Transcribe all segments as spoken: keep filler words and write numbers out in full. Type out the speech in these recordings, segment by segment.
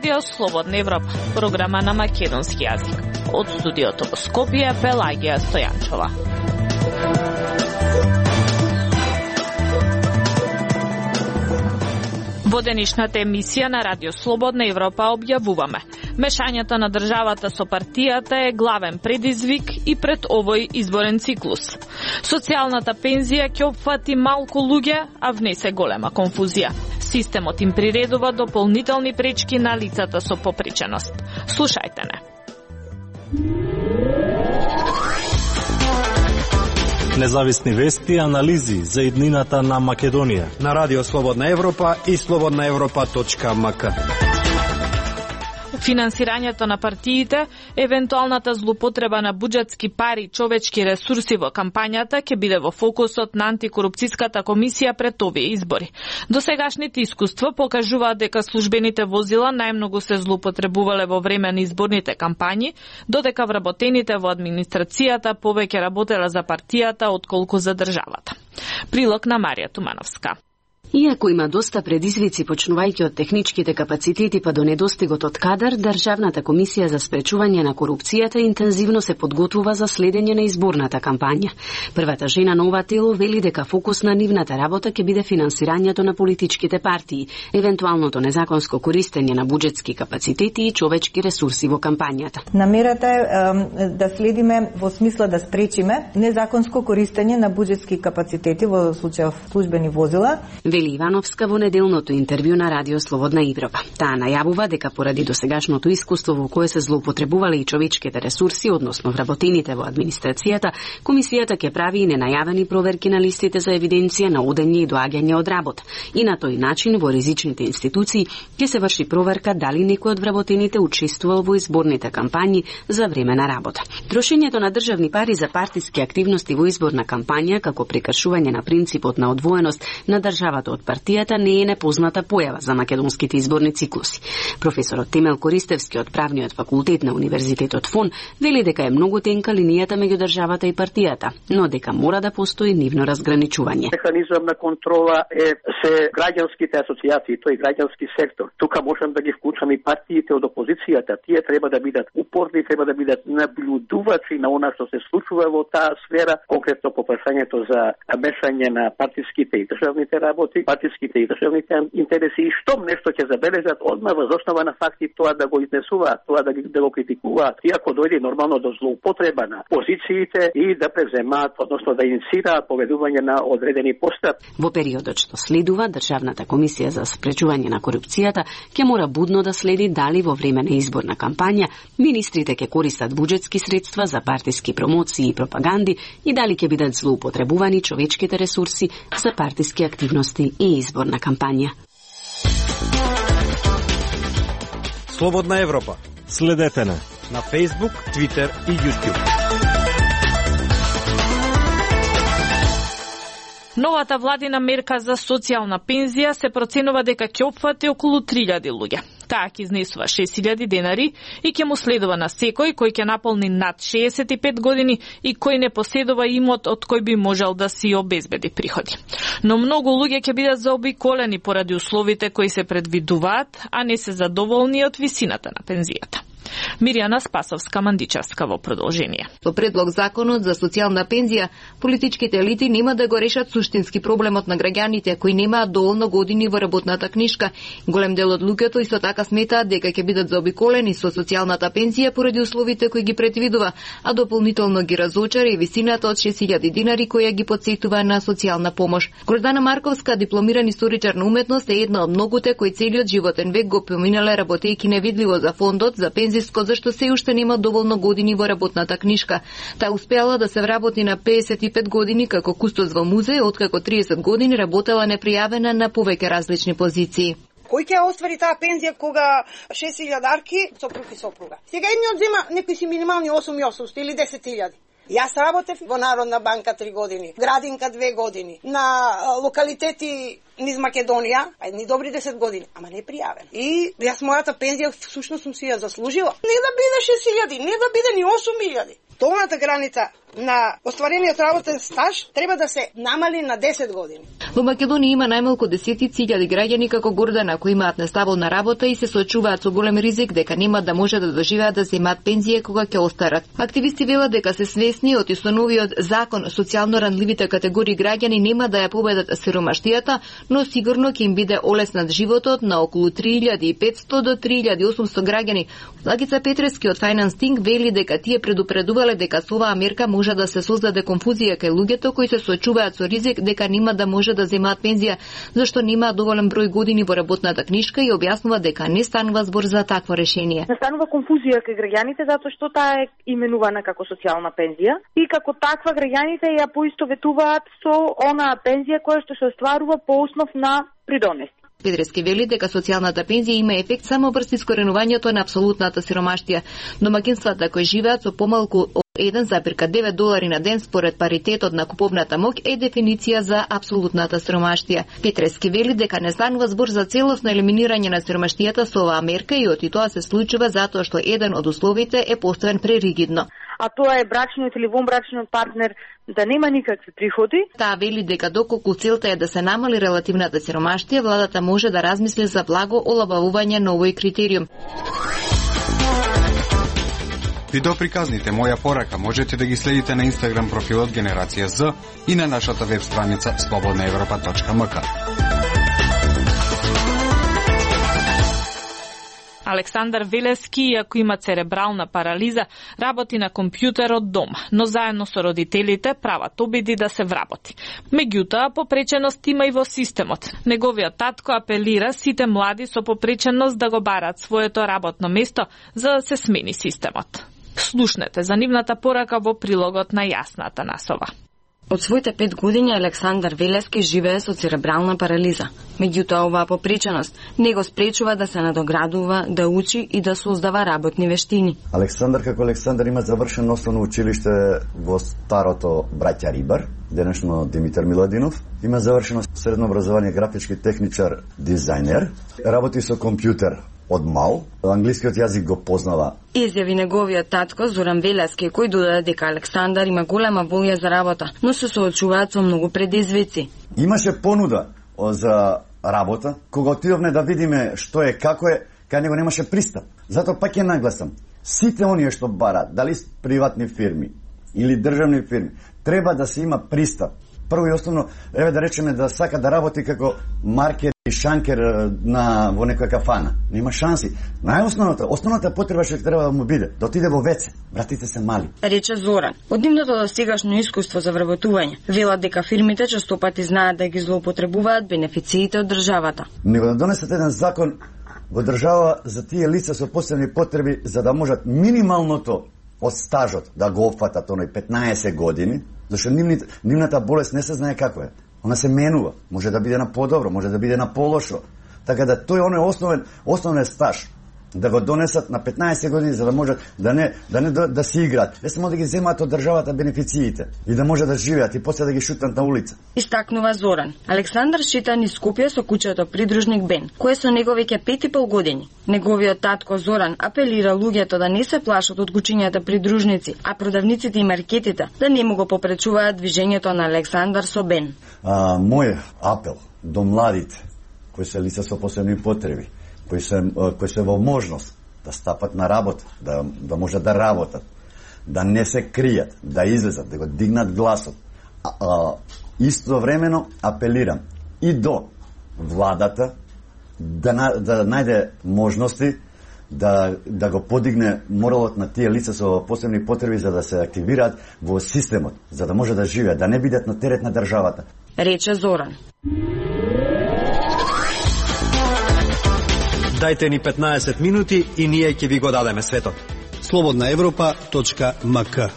Радио Слободна Европа, програма на македонски јазик. Од студиото во Скопје, Пелагија Стојанчова. Во денешната емисија на Радио Слободна Европа објавуваме: мешањето на државата со партијата е главен предизвик и пред овој изборен циклус. Социјалната пензија ќе опфати малку луѓе, а внесе голема конфузија. Системот им приредува дополнителни пречки на лицата со попреченост. Слушајте не. Независни вести и анализи за иднината на Македонија на Радио Слободна Европа и слободна европа точка ем ка. Финансирањето на партиите, евентуалната злоупотреба на буџетски пари и човечки ресурси во кампањата ќе биде во фокусот на антикорупцијската комисија пред овие избори. Досегашните искуства покажуваат дека службените возила најмногу се злоупотребувале во време на изборните кампањи, додека вработените во администрацијата повеќе работеле за партијата отколку за државата. Прилог на Марија Тумановска. Иако има доста предизвици, почнувајќи од техничките капацитети па до недостигот од кадар, Државната комисија за спречување на корупцијата интензивно се подготвува за следење на изборната кампања. Првата жена на ова тело вели дека фокус на нивната работа ќе биде финансирањето на политичките партии, евентуалното незаконско користење на буџетски капацитети и човечки ресурси во кампањата. Намерата е, е да следиме во смисла да спречиме незаконско користење на буџетски капацитети во случај службени возила. Вели Ивановска во неделното интервју на Радио Слободна Европа. Таа најавува дека поради досегашното искуство во кое се злоупотребувале и човечките ресурси, односно вработените во администрацијата, комисијата ќе прави и ненајавени проверки на листите за евиденција на одење и доаѓање од работа. И на тој начин во ризичните институции ќе се врши проверка дали некој од вработените учествувал во изборните кампањи за време на работа. Трошењето на државни пари за партиски активности во изборна кампања како прекршување на принципот на одвоеност на државата од партијата не е непозната појава за македонските изборни циклуси. Професорот Темел Користевски од Правниот факултет на Универзитетот ФОН вели дека е многу тенка линијата меѓу државата и партијата, но дека мора да постои нивно разграничување. Механизам на контрола е се граѓанските асоцијации, тој граѓански сектор. Тука можам да ги вклучам и партиите од опозицијата. Тие треба да бидат упорни, треба да бидат наблюдувачи на она што се случува во таа сфера, конкретно по прашањето за мешање на партиските и државните работи, партиските и државните интереси, и штом нешто ќе забележат, одма воз основа на факти тоа да го изнесуваат, тоа да, да го критикуваат, и ако дојде нормално до злоупотреба на позициите и да преземаат, односно да инициираат поведување на одредени постапки. Во периодот што следува, Државната комисија за спречување на корупцијата ќе мора будно да следи дали во време на изборна кампања министрите ќе користат буџетски средства за партиски промоции и пропаганди и дали ќе бидат злоупотребувани човечките ресурси за партиски активности и изборна кампања. Слободна Европа. Следете на на Facebook, Twitter и YouTube. Новата владина мерка за социјална пензија се проценува дека ќе опфати околу три илјади луѓе. Таа ќе изнесува шест илјади денари и ќе му следува на секој кој ќе наполни над шеесет и пет години и кој не поседува имот од кој би можел да си обезбеди приходи. Но многу луѓе ќе бидат заобиколени поради условите кои се предвидуваат, а не се задоволни од висината на пензијата. Миријана Спасовска-Мандичевска во продолжение. Со предлог законот за социјална пензија, политичките елити нема да го решат суштински проблемот на граѓаните кои немаат доволно години во работната книшка. Голем дел од луѓето исто така сметаат дека ќе бидат заобиколени со социјалната пензија поради условите кои ги предвидува, а дополнително ги разочари и висината од шест илјади динари која ги потсетува на социјална помош. Гордана Марковска, дипломиран историчар на уметност, е една од многуте кои целиот животен век го поминале работејќи невидливо за фондот за пензиско, зашто се уште нема доволно години во работната книшка. Таа успеала да се вработи на пеесет и пет години како кустос во музеј, откако триесет години работела непријавена на повеќе различни позиции. Кој ќе оствари таа пензија кога шест илјадарки сопруг и сопруга? Сега едниот зема некои си минимални осум и осумстотини или десет илјади. Јас работев во Народна банка три години, Градинка две години, на локалитети низ Македонија, едни добри десет години, ама не пријавен. И јас мојата пензија всушност сум си ја заслужила. Не да биде шест илјади, не да биде ни осум илјади. долната граница на остварениот работен стаж треба да се намали на десет години. Во Македонија има најмалку десетици илјади граѓани како Гордана кои имаат нестабилна работа и се соочуваат со голем ризик дека нема да може да доживеат да земаат пензија кога ќе остарат. Активисти велат дека се свесни од новиот закон социјално ранливите категории граѓани нема да ја победат сиромаштијата, но сигурно ќе им биде олеснат животот на околу три илјади и петсто до три илјади и осумсто граѓани. Лагица Петрески од Finance Think вели дека тие предупредувале дека со оваа мерка може да се создаде конфузија кај луѓето кои се соочуваат со ризик дека нема да може да земаат пензија зашто немаат доволен број години во работната книшка и објаснува дека не станува збор за такво решение. Не станува конфузија кај граѓаните затоа што таа е именувана како социјална пензија и како таква граѓаните ја поистоветуваат со онаа пензија која што се остварува по основ на придонеси. Петрески вели дека социјалната пензија има ефект само врз искоренувањето на апсолутната сиромаштија. Домаќинствата кои живеат со помалку еден зарез девет долари на ден според паритетот на куповната моќ е дефиниција за апсолутната сиромаштија. Петрески вели дека не станува збор за целосно елиминирање на сиромаштијата со оваа мерка и оти тоа се случува затоа што еден од условите е поставен преригидно. А тоа е брачниот или вонбрачниот партнер да нема никакви приходи. Таа вели дека доколку целта е да се намали релативната сиромаштија, владата може да размисли за благо олабавување на овој критериум. Видеоприказните Моја порака можете да ги следите на Инстаграм профилот Генерација З и на нашата веб страница слободна европа точка ем ка. Александар Велески, иако има церебрална парализа, работи на компјутер од дома, но заедно со родителите прават обиди да се вработи. Меѓутоа, попреченост има и во системот. Неговиот татко апелира сите млади со попреченост да го барат своето работно место за да се смени системот. Слушнете за нивната порака во прилогот на Јасна Атанасова. Од своите пет години Александар Велески живее со церебрална парализа. Меѓутоа, оваа попреченост не го спречува да се надоградува, да учи и да создава работни вештини. Александар како Александар има завршено основно училиште во старото Браќа Рибар, денешно Димитар Миладинов. Има завршено средно образование графички техничар, дизајнер. Работи со компјутер од мал, англискиот јазик го познава. Изјави неговиот татко Зоран Велески, кој додаде дека Александар има голема волја за работа, но се соочуваат со многу предизвици. Имаше понуда за работа, кога отидовме да видиме што е, како е, кај него немаше пристап. Затоа пак ја нагласам, сите оние што барат, дали приватни фирми или државни фирми, треба да се има пристап. Прво и основно, еве да речеме да сака да работи како маркер и шанкер на во некоја кафана. Нема шанси. Најосновната, основната потреба што треба да му биде, да отиде во веце. Братите се мали. Рече Зоран. Од нивното достигашно искуство за вработување, велат дека фирмите честопати знаат да ги злоупотребуваат бенефициите од државата. Него да донесат еден закон во држава за тие лица со посебни потреби за да можат минималното од стажот да го опфатат оној петнаесет години, зашто нивната, нивната болест не се знае како е. Она се менува, може да биде на подобро, може да биде на полошо. Така да тој оној основен основен стаж да го донесат на петнаесет години за да можат да не да не да, да си играат. Не само да ги земаат од државата бенефициите и да може да живеат и после да ги шутнат на улица. Истакнува Зоран. Александар шета низ Скопје со куќето придружник Бен, кој со него веќе пет и пол години. Неговиот татко Зоран апелира луѓето да не се плашат од кучињата придружници, а продавниците и маркетите да не му го попречуваат движењето на Александар со Бен. А, мој апел до младите кои се лица со посебни потреби, кои се кои се во можност да стапат на работа, да да можат да работат, да не се кријат, да излезат, да го дигнат гласот. А, а, истовремено апелирам и до владата да да најде можности да да го подигне моралот на тие лица со посебни потреби за да се активираат во системот, за да може да живеат, да не бидат на терет на државата. Рече Зоран. Дајте ни петнаесет минути и ние ќе ви го дадеме светот. слободна европа точка ем ка.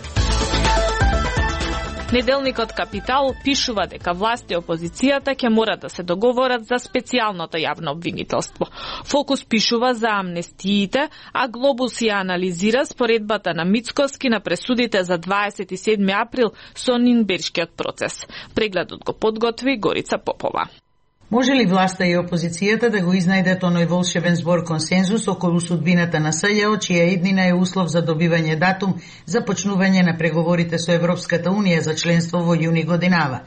Неделникот Капитал пишува дека власти и опозицијата ќе морат да се договорат за специјалното јавно обвинителство. Фокус пишува за амнестиите, а Глобус ја анализира споредбата на Мицкоски на пресудите за дваесет и седми април со Нинбергскиот процес. Прегледот го подготви Горица Попова. Може ли власта и опозицијата да го изнајдат оној волшебен збор консензус околу судбината на СЈО, чија иднина е услов за добивање датум за почнување на преговорите со Европската Унија за членство во јуни годинава?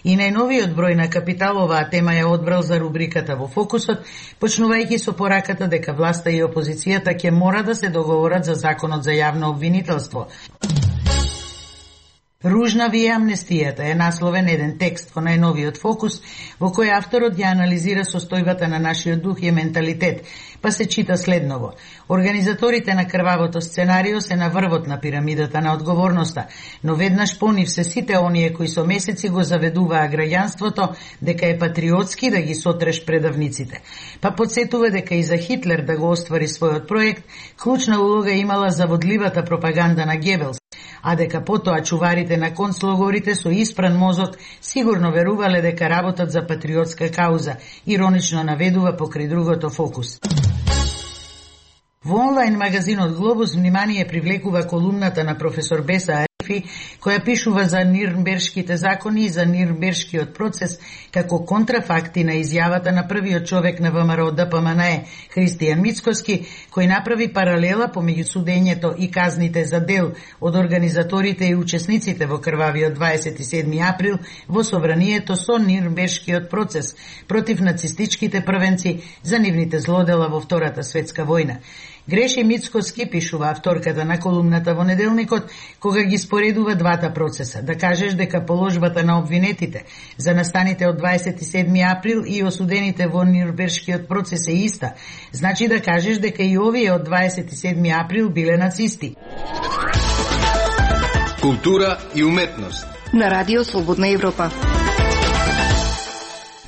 И најновиот број на Капитал оваа тема ја одбрал за рубриката во фокусот, почнувајќи со пораката дека власта и опозицијата ќе мора да се договорат за законот за јавно обвинителство. Ружна ви е амнестијата е насловен еден текст во најновиот фокус, во кој авторот ја анализира состојбата на нашиот дух и менталитет, па се чита следново. Организаторите на крвавото сценарио се на врвот на пирамидата на одговорноста, но веднаш по нив се сите оние кои со месеци го заведуваа граѓанството дека е патриотски да ги сотреш предавниците. Па подсетува дека и за Хитлер да го оствари својот проект, клучна улога имала заводливата пропаганда на Гебелс, а дека потоа чуварите на концлогорите со испран мозок сигурно верувале дека работат за патриотска кауза, иронично наведува покрај другото фокус. Во онлайн магазинот Глобус внимание привлекува колумната на професор Беса Арифи, која пишува за Нирнбергските закони и за Нирнбергскиот процес како контрафакти на изјавата на првиот човек на ВМРО Д П М Н Е, Христијан Мицкоски, кој направи паралела помеѓу судењето и казните за дел од организаторите и учесниците во крвавиот дваесет и седми април во собранието со Нирнбергскиот процес против нацистичките првенци за нивните злодела во Втората светска војна. Греши Мицкоски, пишува авторката на колумната во неделникот, кога ги споредува двата процеса. Да кажеш дека положбата на обвинетите за настаните од дваесет и седми април и осудените во Нирнбергскиот процес е иста, значи да кажеш дека и овие од дваесет и седми април биле нацисти. Култура и уметност на Радио Слободна Европа.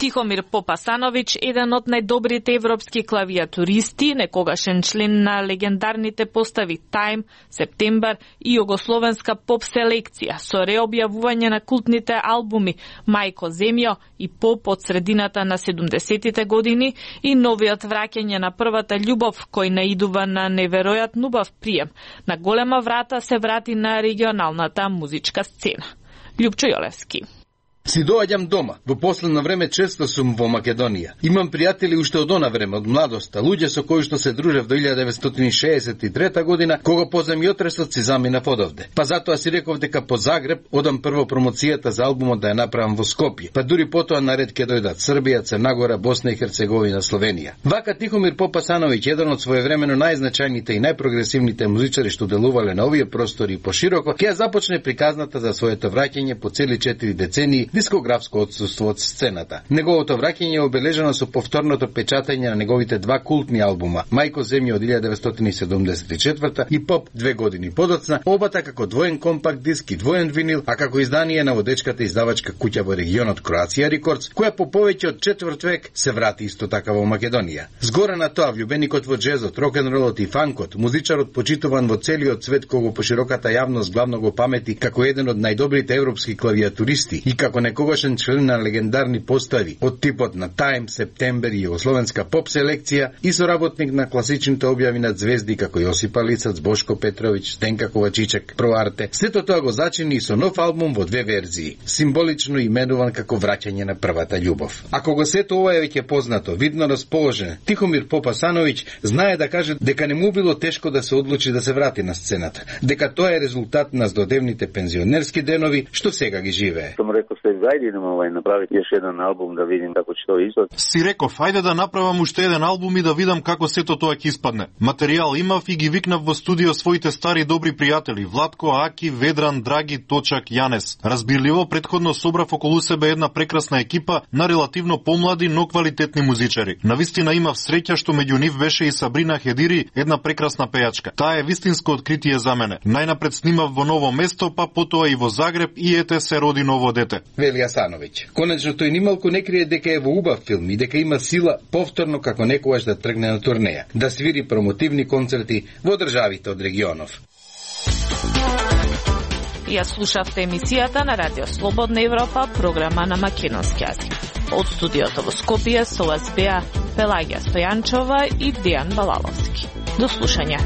Тихомир Попасановиќ, еден од најдобрите европски клавиатуристи, некогашен член на легендарните постави Time, Септембар и југословенска поп селекција, со реобјавување на култните албуми Мајко Земјо и Поп од средината на седумдесетите години и новиот враќање на првата љубов, кој наидува на неверојатно убав прием. На голема врата се врати на регионалната музичка сцена. Љупчо Јолевски. Си доаѓам дома. Во последно време често сум во Македонија. Имам пријатели уште од она време, од младоста, луѓе со кои што се дружев до илјада деветстотини шеесет и трета година, кога по земјотресот си заминав одовде. Па затоа си реков дека по Загреб одам прво промоцијата за албумот да ја направам во Скопје. Па дури потоа наред ќе дојдат Србија, Црнагора, Босна и Херцеговина, Словенија. Вака Тихомир Попасановиќ, еден од своевремено најзначајните и најпрогресивните музичари што делувале на овие простори и пошироко, ќе започне приказната за своето враќање по цели четири децении дискографско отсуство од сцената. Неговото враќање е обележано со повторното печатање на неговите два култни албума Мајко Земјо од илјада деветстотини седумдесет и четврта и Поп две години подоцна, обата како двоен компакт диск и двоен винил, а како издание на водечката издавачка куќа во регионот Кроација Рекордс, која по повеќе од четврт век се врати исто така во Македонија. Згора на тоа, влюбеникот во джезот, рок-н-ролот и фанкот, музичарот почитуван во целиот свет, кого по широката јавност главно го памети како еден од најдобрите европски клавиатуристи и како некогашен член на легендарни постави од типот на Time, Септембер и југословенска поп селекција и соработник на класичните објави на звезди како Јосипа Лицац, Бошко Петровиќ, Стенка Ковачичек, Проарте. Сето тоа го зачини и со нов албум во две верзии, символично именуван како враќање на првата љубов. Ако го сето ова е веќе познато, видно расположен, Тихомир Попасановиќ знае да каже дека не му било тешко да се одлучи да се врати на сцената, дека тоа е резултат на здодевните пензионерски денови што сега ги живее. Сум рекол се ајде идеме овај направи еш еден албум да видим како ќе тоа изгледа. Си реков, ајде да направам уште еден албум и да видам како сето тоа ќе испадне. Материјал имав и ги викнав во студио своите стари добри пријатели Владко, Аки, Ведран, Драги, Точак, Јанес. Разбирливо претходно собрав околу себе една прекрасна екипа на релативно помлади, но квалитетни музичари. Навистина имав среќа што меѓу нив беше и Сабрина Хедири, една прекрасна пејачка. Таа е вистинско откритие за мене. Најнапред снимав во ново место, па потоа и во Загреб и ете се роди ново дете. Вели Асановиќ. Конечно тој нималку не крие дека е во убав филм и дека има сила повторно како некогаш да тргне на турнеја, да свири промотивни концерти во државите од регионов. Ја слушавте емисијата на Радио Слободна Европа, програма на македонски јазик. Од студиото во Скопје со вас беа Пелагија Стојанчова и Дејан Балаловски. До слушање.